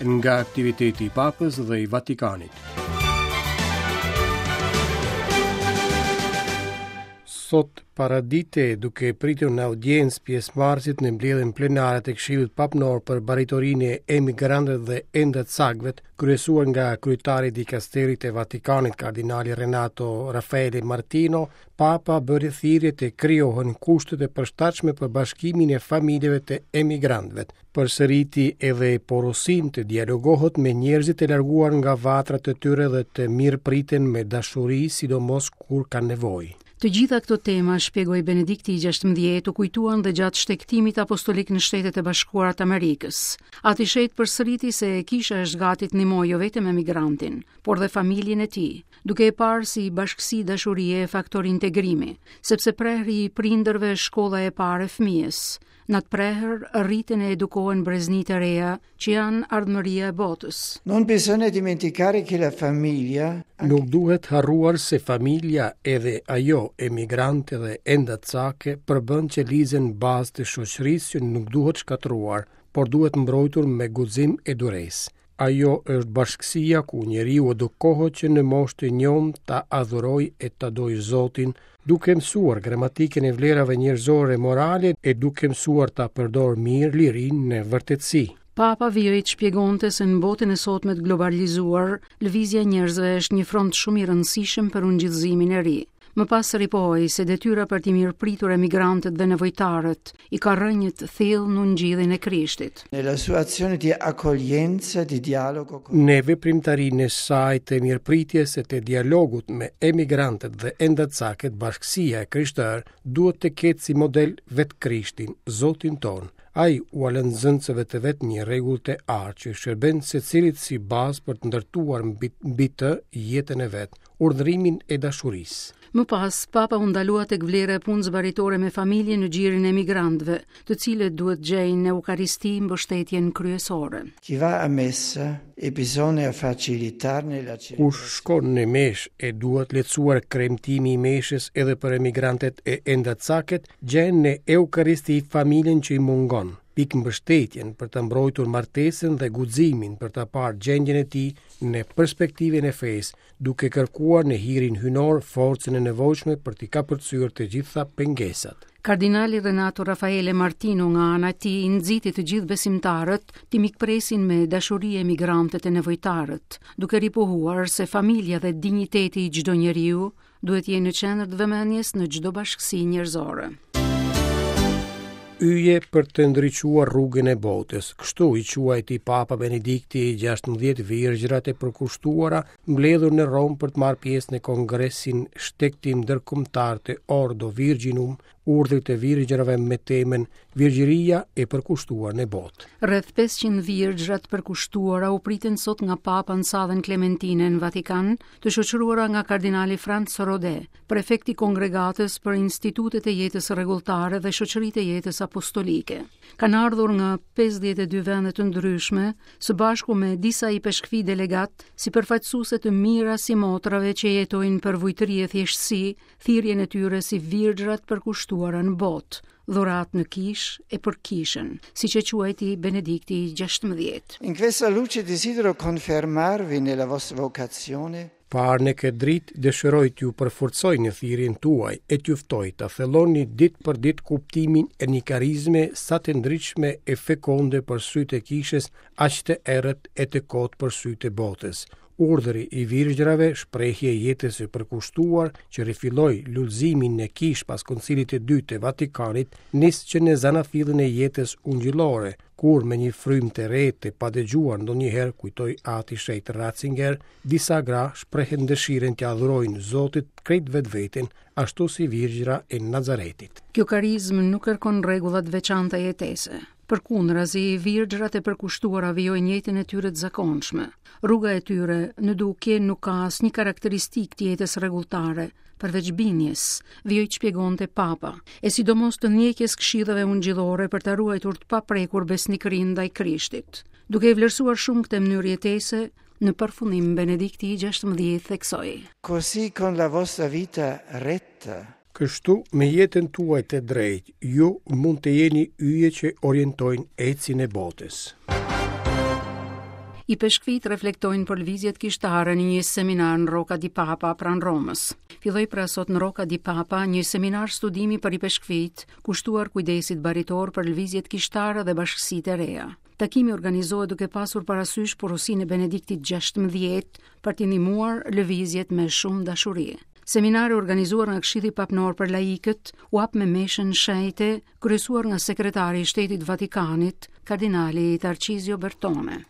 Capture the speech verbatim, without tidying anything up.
Nga aktiviteti i Papës dhe i Vatikanit. Sot paradite, duke pritur në audiencë pjesëmarrësit në mbledhjen plenare të Këshillit Papnor për Baritorinë e Emigrantëve dhe Endacakëve, kryesuar nga kryetari i dikasterit të Vatikanit, kardinali Renato Raffaele Martino, Papa bëri thirrje të krijohen kushtet e përshtatshme për bashkimin e familjeve të emigrantëve. Përsëriti edhe porosinë të dialogohet me njerëzit e larguar nga vatrat e tyre dhe të mirëpriten me dashuri, sidomos kur kanë nevojë. Të gjitha këto tema, shpjegoi Benedikti i gjashtëmbëdhjetë, u kujtuan dhe gjatë shtegtimit apostolik në Shtetet e Bashkuara të Amerikës. Ati Shenjt përsëriti se kisha është gati të ndihmojë jo vetëm emigrantin, por dhe familjen e tij, duke e parë si bashkësi dashurie e faktor integrimi, sepse prehri i prindërve është shkolla e parë e fëmijës. Në atë prehër rriten e edukohen breznitë e reja që janë ardhmëria e botës. Non bisogna dimenticare che la famiglia Nuk duhet harruar se familja, edhe ajo emigrante dhe endacake, përbën qelizën bazë të shoqërisë që nuk duhet shkatërruar, por duhet mbrojtur me guxim e duresë. Ajo është bashkësia ku njeriu edukohet që në moshë të njomë ta adhurojë e ta dojë Zotin, duke mësuar gramatikën e vlerave njerëzore morale e duke mësuar ta përdor mirë lirinë në vërtetësi. Papa vijoi të shpjegonte se në botën e sotme të globalizuar, lëvizja e njerëzve është një front shumë i rëndësishëm për ungjillëzimin e ri. Më pas ripohoi se detyra për t'i mirëpritur emigrantët dhe nevojtarët i ka rrënjët thellë në ungjillin e Krishtit. Nella sua azione di accoglienza, di dialogo con Në veprimtarinë e saj të mirëpritjes e të dialogut me emigrantët dhe endacakët, bashkësia e krishterë duhet të ketë si model vetë Krishtin, Zotin tonë. Ai ua lë nxënësve të vet një rregull të artë që shërben secilit si bazë për të ndërtuar mbi, mbi të jetën e vet, urdhërimin e dashurisë. Më pas, Papa u ndalua tek vlera e punës baritore me familjen në gjirin e emigrantëve, të cilët duhet gjejnë në Eukaristi mbështetjen kryesore. Chi va a messa e bisogna facilitarne la Kush shkon në meshë e duhet lehtësuar kremtimi i meshës edhe për emigrantët e endacaket, gjen në Eukaristi familjen që i mungon, pikë mbështetjen për të mbrojtur martesën dhe guximin për ta parë gjendjen e tij në perspektivën e fesë, duke kërkuar në hirin hynor forcën e nevojshme për t'i kapërcyer të gjitha pengesat. Kardinali Renato Raffaele Martino nga ana e tij nxiti të gjithë besimtarët t'i mikpresin me dashuri emigrantët e nevojtarët, duke ripohuar se familja dhe dinjiteti i çdo njeriu duhet jenë në qendër të vëmendjes në çdo bashkësi njerëzore. Yje për të ndriçuar rrugën e botës. Kështu i quajti Papa Benedikti i gjashtëmbëdhjetë virgjërat e përkushtuara mbledhur në Romë për të marrë pjesë në Kongresin Shtegtim Ndërkombëtar të Ordo Virginum, urdhrit e virgjërave me temën Virgjëria e përkushtuar në botë. Rreth pesëqind virgjëra të përkushtuara u pritën sot nga Papa në sallën Klementine në Vatikan, të shoqëruara nga kardinali Franz Rode, prefekti i kongregatës për institutet e jetës rregulltare dhe shoqëritë e jetës apostolike. Kanë ardhur nga pesëdhjetë e dy vende të ndryshme, së bashku me disa ipeshkvi delegat, si përfaqësuese të mira si motrave që jetojnë për vujtëri e thjeshtësi, thirrjen e tyre si virgjërat përkushtuara në botë, dhurat në kishë e për kishën, siç e quajti Benedikti i gjashtëmbëdhjetë. In questa luce desidero confermarvi nella vostra vocazione. Parë në këtë dritë, dëshiroj t'ju përforcoj në thirrjen tuaj e t'ju ftoj ta thelloni ditë për ditë kuptimin e një karizme sa të ndritshme e fekonde për sytë e kishës, aq të errët e të kotë për sytë e botës. Urdhëri i virgjërave, shprehje e jetës së përkushtuar që rifilloi lulëzimin në kishë pas Koncilit të Dytë të Vatikanit, nis që në zanafillën e jetës ungjillore, kur me një frymë të re të padëgjuar ndonjëherë, kujtoi Ati Shenjt Ratzinger, disa gra shprehen dëshirën t'ia adhurojnë Zotit krejt vetveten, ashtu si virgjëra e Nazaretit. Kjo karizmë nuk kërkon rregulla të veçanta jetese. Përkundrazi, virgjërat e përkushtuara vijojnë jetën e tyre të zakonshme. Rruga e tyre në dukje nuk ka asnjë karakteristikë të jetës rregulltare, përveç bindjes, vijoi të shpjegonte Papa, e sidomos të ndjekjes këshillave ungjillore për ta ruajtur të paprekur besnikërinë ndaj Krishtit. Duke e vlerësuar shumë këtë mënyrë jetese, në përfundim Benedikti i gjashtëmbëdhjetë theksoi: Così con la vostra vita retta. Kështu, me jetën tuaj të drejtë, ju mund të jeni yje që orientojnë ecjen e botës. Ipeshkvijtë reflektojnë për lëvizjet kishtare në një seminar në Rocca di Papa pranë Romës. Filloi pra sot në Rocca di Papa një seminar studimi për ipeshkvijtë, kushtuar kujdesit baritor për lëvizjet kishtare dhe bashkësitë e reja. Takimi organizohet duke pasur parasysh porosinë e Benediktit gjashtëmbëdhjetë për t'i ndihmuar lëvizjet me shumë dashuri. Seminari organizuar nga Këshilli Papnor për Laikët u hap me meshën shenjte, kryesuar nga sekretari i Shtetit Vatikanit, kardinali Tarcizio Bertone.